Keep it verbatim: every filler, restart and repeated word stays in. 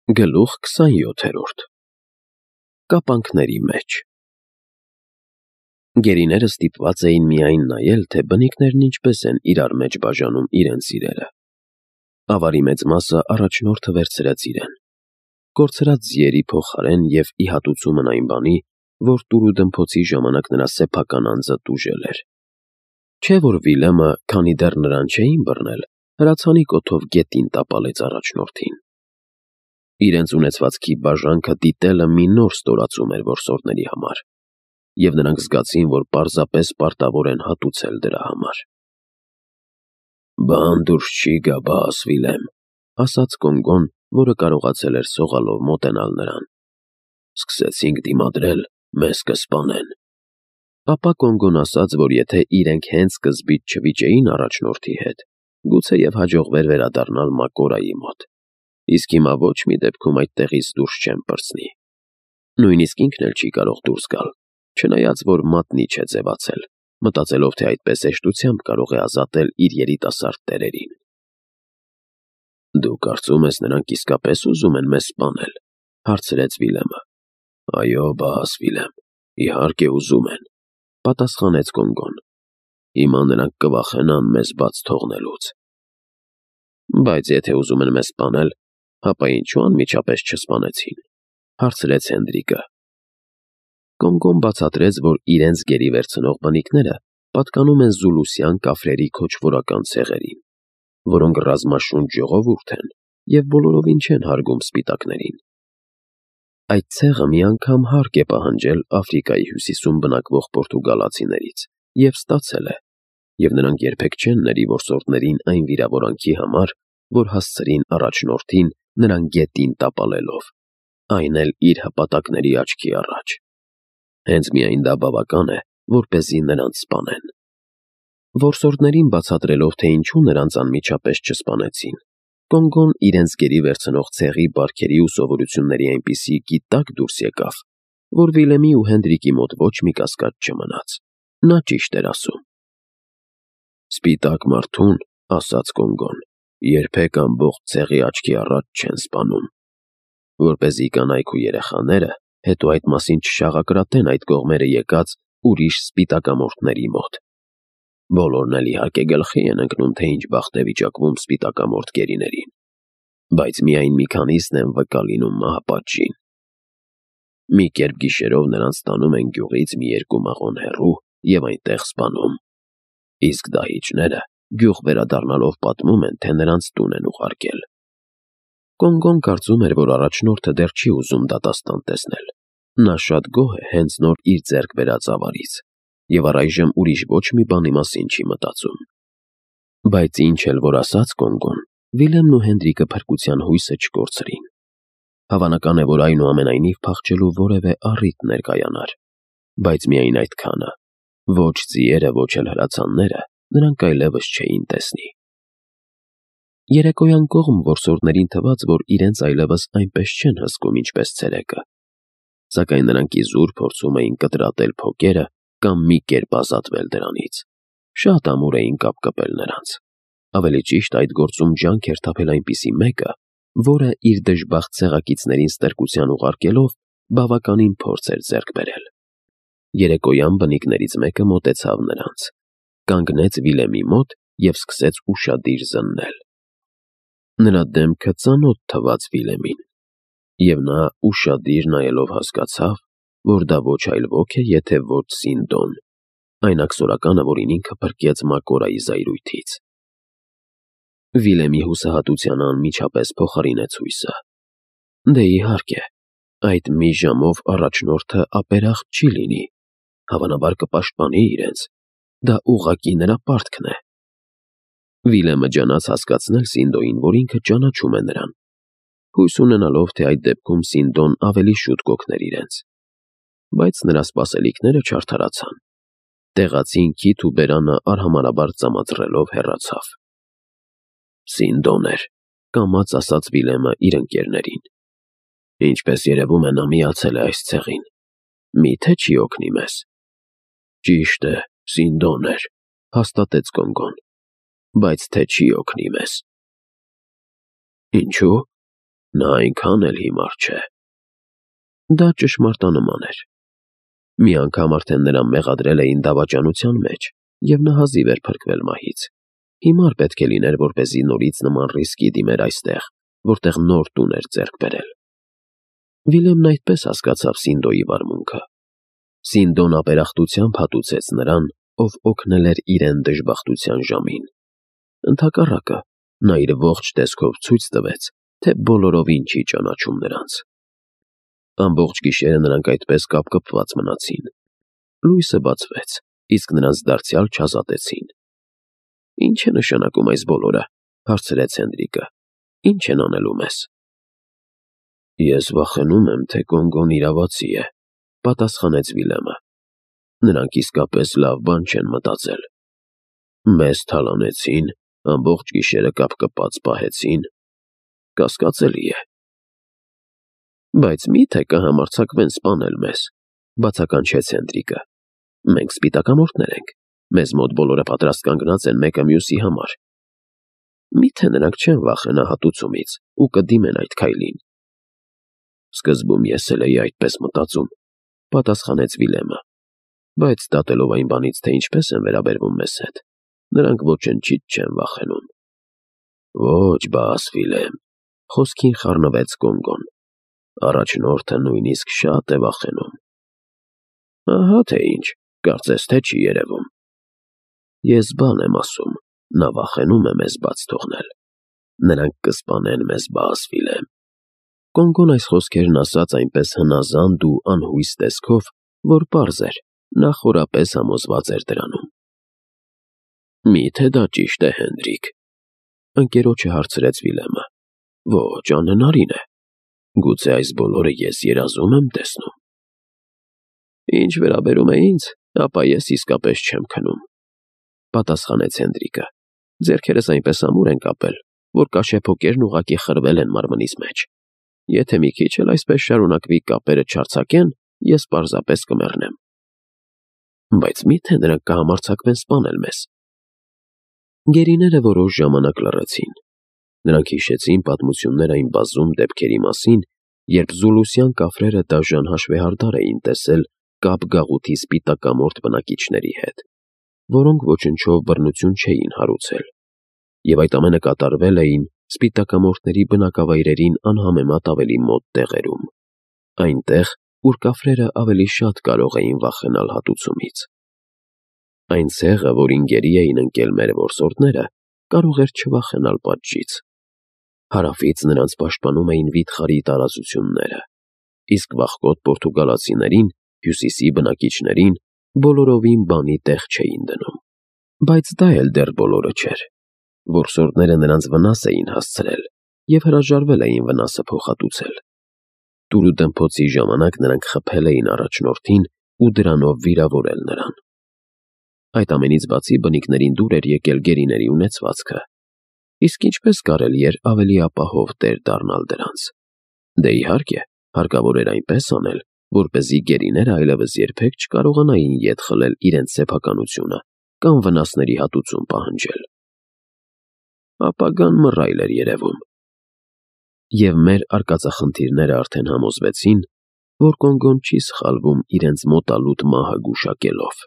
Գլուխ քսանյոթերորդ Կապանքների մեջ Գերիները ստիպված էին միայն նայել, թե բնիկներն ինչպես են իրար մեջ բաժանում իրենց իրերը։ Ավարի մեծ մասը առաջնորդը վերցրեց իրեն, կորցրած ձիերի փոխարեն և ի հատուցումն այն բանի, որ տուրուդմփոցի ժամանակ նրա սեփական անձը տուժել էր։ Չէ՞ որ Վիլեմը, քանի դեռ նրան չէին բռնել, հրացանի կոթով գետին տապալեց առաջնորդին։ Իրենց ունեցվածքի բաժանքը դիտելը մի նոր ստորացում էր որսորդների համար, և նրանք զգացին, որ պարզապես պարտավոր են հատուցել դրա համար։ «Բան դուրս չի գա, բաս, Վիլեմ», ասաց Կոնգոն, որը կարողացել էր սողալով մոտենալ նրան։ «Սկսեցինք դիմադրել, մեզ կսպանեն»։ Ապա Կոնգոն ասաց, որ եթե իրենք հենց սկզբից չվիճեին առաջնորդի հետ, գուցեև հաջողվեր վերադառնալ Մակորայի մոտ, իսկ հիմա ոչ մի դեպքում այդտեղից դուրս չեն պրծնի։ Նույնիսկ ինքն էլ չի կարող դուրս գալ, չնայած որ մատնի չէ ձևացել, մտածելով, թե այդպես հեշտությամբ կարող է ազատել իր երիտասարդ տերերին։ «Դու կարծում ես, նրանք իսկապես ուզում են մեզ սպանել», հարցրեց Վիլեմը։ «Այո, բաս, Վիլեմ, իհարկե ուզում են», պատասխանեց Կոնգոն։ «Հիմա նրանք կվախենան մեզ բաց թողնելուց»։ «Բայց եթե ուզում են մեզ սպանել, հապա ինչու անմիջապես չսպանեցին», հարցրեց Հենդրիկը։ Կոնգոն բացատրեց, որ իրենց գերի վերցնող բնիկները պատկանում են զուլուսյան կաֆրերի քոչվորական ցեղերին, որոնք ռազմաշունչ ժողովուրդ են և բոլորովին չեն հարգում սպիտակներին։ Այդ ցեղը մի անգամ հարկ է պահանջել Աֆրիկայի հյուսիսում բնակվող պորտուգալացիներից և ստացել է, և նրանք երբեք չեն ների որսորդներին այն վիրավորանքի համար, որ հասցրին առաջնորդին նրան գետին տապալելով, այն էլ իր հպատակների աչքի առաջ։ Հենց միայն դա բավական է, որպեսզի նրանց սպանեն։ Որսորդներին բացատրելով, թե ինչու նրանց անմիջապես չսպանեցին, Կոնգոն իրենց գերի վերցնող ցեղի բարքերի ու սովորությունների այնպիսի գիտակ դուրս եկավ, որ Վիլեմի ու Հենդրիկի մոտ ոչ մի կասկած չմնաց։ Նա ճիշտ էր ասում։ «Սպիտակ մարդուն, — ասաց Կոնգոն, — երբեք ամբողջ ցեղի աչքի առաջ չեն սպանում, որպեսզի կանայք ու երեխաները հետո այդ մասին չշաղակրատեն այդ կողմերը եկած ուրիշ սպիտակամորթների մոտ։ Բոլորն էլ իհարկե գլխի են ընկնում, թե ինչ բախտ է վիճակվում սպիտակամորթ գերիներին, բայց միայն մի քանիսն են վկա լինում մահապատժին։ Մի կերպ գիշերով նրանց տանում են գյուղից մի երկու մղոն հեռու և այնտեղ սպանում, իսկ դահիճները գյուղ վերադառնալով պատմում են, թե նրանց տուն են ուղարկել»։ Կոնգոն կարծում էր, որ առաջնորդը դեռ չի ուզում դատաստան տեսնել։ Նա շատ գոհ է հենց նոր իր ձեռք բերած ավարից և առայժմ ուրիշ ոչ մի բանի մասին չի մտածում։ Բայց ինչ էլ որ ասաց Կոնգոն, Վիլեմն ու Հենդրիկը փրկության հույսը չկորցրին։ Հավանական է, որ այնուամենայնիվ փախչելու որևէ առիթ ներկայանար, բայց միայն այդքանը, ոչ ձիերը, ոչ էլ հրացանները նրանք այլևս չէին տեսնի։ Երեկոյան կողմ որսորդներին թվաց, որ իրենց այլևս այնպես չեն հսկում, ինչպես ցերեկը, սակայն նրանք իզուր փորձում էին կտրատել փոկերը կամ մի կերպ ազատվել դրանից։ Շատ ամուր էին կապկպել նրանց։ Ավելի ճիշտ, այդ գործում ջանք էր թափել այնպիսի մեկը, որը իր դժբախտ ցեղակիցներին ստրկության ուղարկելով բավականին փորձ էր ձեռք բերել։ Երեկոյան բնիկներից մեկը մոտեցավ նրանց, կանգնեց Վիլեմի մոտ և սկսեց ուշադիր զննել։ Նրա դեմքը ծանոթ թվաց Վիլեմին, և նա ուշադիր նայելով հասկացավ, որ դա ոչ այլ ոք է, եթե ոչ Սինդոն, այն աքսորականը, որին ինքը փրկեց Մակորայի զայրույթից։ Վիլեմի հուսահատությանը անմիջապես փոխարինեց հույսը։ Դե իհարկե, այդ մի ժամով առաջնորդը ապերախտ չի լինի, հավանաբար կպաշտպանի իրենց, դա ուղղակի նրա պարտքն է։ Վիլեմը ջանաց հասկացնել Սինդոյին, որ ինքը ճանաչում է նրան, հույս ունենալով, թե այդ դեպքում Սինդոն ավելի շուտ կօգներ իրենց։ Բայց նրա սպասելիքները չարդարացան։ Տեղացին քիթ ու բերանը արհամարհաբար ծամածռելով հեռացավ։ «Սինդոն էր», կամաց ասաց Վիլեմը իր ընկերներին։ «Ինչպես երևում է, նա միացել է այս ցեղին։ Մի՞թե չի օգնի մեզ»։ «Ճիշտ է, Սինդոն էր», հաստատեց Կոնգոն, «բայց թե չի օգնի մեզ»։ «Ինչու՞։ Նա այնքան էլ հիմար չէ։ Դա ճշմարտանման էր։ Մի անգամ արդեն նրան մեղադրել էին դավաճանության մեջ, և նա հազիվ էր փրկվել մահից։ Հիմար պետք է լիներ, որպեսզի նորից նման ռիսկի դիմեր այստեղ, որտեղ նոր տուն էր ձեռք բերել։ Վիլեմն այդպես հասկացավ Սինդոյի վարմունքը։ Սինդոն ապերախտությամբ հատուցեց նրան, ով օգնել էր իրեն դժբախտության ժամին։ Ընդհակառակը, նա իր ողջ տեսքով ցույց տվեց, թե բոլորովին չի ճանաչում նրանց։ Ամբողջ գիշերը նրանք այդպես կապկպված մնացին։ Լույսը բացվեց, իսկ նրանց դարձյալ չազատեցին։ «Ինչ է նշանակում այս բոլորը», հարցրեց Հենրիկը։ «Ինչ են անելու մեզ»։ «Ես վախենում եմ, թե Կոնգոն իրավացի է», պատասխանեց Վիլեմը։ «Նրանք իսկապես լավ բան չեն մտածել։ Մեզ թալանեցին, ամբողջ գիշերը կապկպած պահեցին։ Կասկածելի է»։ «Բայց մի՞թե կհամարձակվեն սպանել մեզ», բացականչեց Հենրիկը։ «Մենք սպիտակամորթներ ենք։ Մեզ մոտ բոլորը պատրաստ կանգնած են մեկը մյուսի համար։ Մի՞թե նրանք չեն վախենա հատուցումից ու կդիմեն այդ քայլին»։ «Սկզբում ես էլ էի այդպես մտածում», պատասխանեց Վիլեմը, «բայց դատելով այն բանից, թե ինչպես են վերաբերվում մեզ հետ, նրանք ոչնչից չեն վախենում»։ «Ոչ, բաս, Վիլեմ», խոսքին խառնվեց Կոնգոն, «առաջնորդը նույնիսկ շատ է վախենում»։ «Ահա թե ինչ, կարծես թե չի երևում»։ «Ես բան եմ ասում, նա վախենում է մեզ բաց թողնել։ Նրանք կսպանեն մեզ, բաս, Վիլեմ»։ Կոնգոն այս խոսքերն ասաց այնպես հնազանդ ու անհույս տեսքով, որ պարզ էր, նա խորապես համոզված էր դրանում։ «Մի՞թե դա ճիշտ է, Հենրիկ», ընկերոջը հարցրեց Վիլեմը։ «Ոչ, անհնարին է։ Գուցե այս բոլորը ես երազում եմ տեսնում»։ «Ինչ վերաբերում է ինձ, ապա ես իսկապես չեմ քնում», պատասխանեց Հենրիկը։ «Ձեռքերս այնպես ամուր են կապել, որ կաշեփոկերն ուղղակի խրվել են մարմնիս մեջ։ Եթե մի քիչ էլ այսպես շարունակվի կապերը չարձակեն, ես պարզապես կմեռնեմ»։ «Բայց մի՞թե նրանք կհամարձակվեն սպանել մեզ»։ Գերիները որոշ ժամանակ լռեցին։ Նրանք հիշեցին պատմություններ այն բազում դեպքերի մասին, երբ զուլուսյան կափրերը դաժան հաշվեհարդար էին տեսել կապ գաղութի սպիտակամորթ բնակիչների հետ, որոնք ոչնչով բռնություն չէին հարուցել, և այդ ամենը կատարվել էին սպիտակամորթների բնակավայրերին անհամեմատ ավելի մոտ տեղերում, այնտեղ, ուր կափրերը ավելի շատ կարող էին վախենալ հատուցումից։ Այն ցեղը, որին գերի էին ընկել մեր որսորդները, կարող էր չվախենալ պատժից։ Հարավից նրանց պաշտպանում էին վիթխարի տարածությունները, իսկ վախկոտ պորտուգալացիներին, հյուսիսի բնակիչներին, բոլորովին բանի տեղ չէին դնում։ Բայց դա էլ դեռ բոլորը չէր։ Որսորդները նրանց վնաս էին հասցրել և հրաժարվել էին վնասը փոխհատուցել։ Տուրուդմփոցի ժամանակ նրանք խփել էին առաջնորդին ու դրանով վիրավորել նրան։ Այդ ամենից բացի բնիկներին դուր էր եկել գերիների ունեցվածքը, իսկ ինչպես կարելի էր ավելի ապահով տեր դառնալ դրանց։ Դե իհարկե, հարկավոր էր այնպես անել, որպեսզի գերիները այլևս երբեք չկարողանային ետ խլել իրենց սեփականությունը կամ վնասների հատուցում պահանջել։ Ապագան մռայլ էր երևում։ Եվ մեր արկածախնդիրները արդեն համոզվեցին, որ Կոնգոն չի սխալվում իրենց մոտալուտ մահը գուշակելով։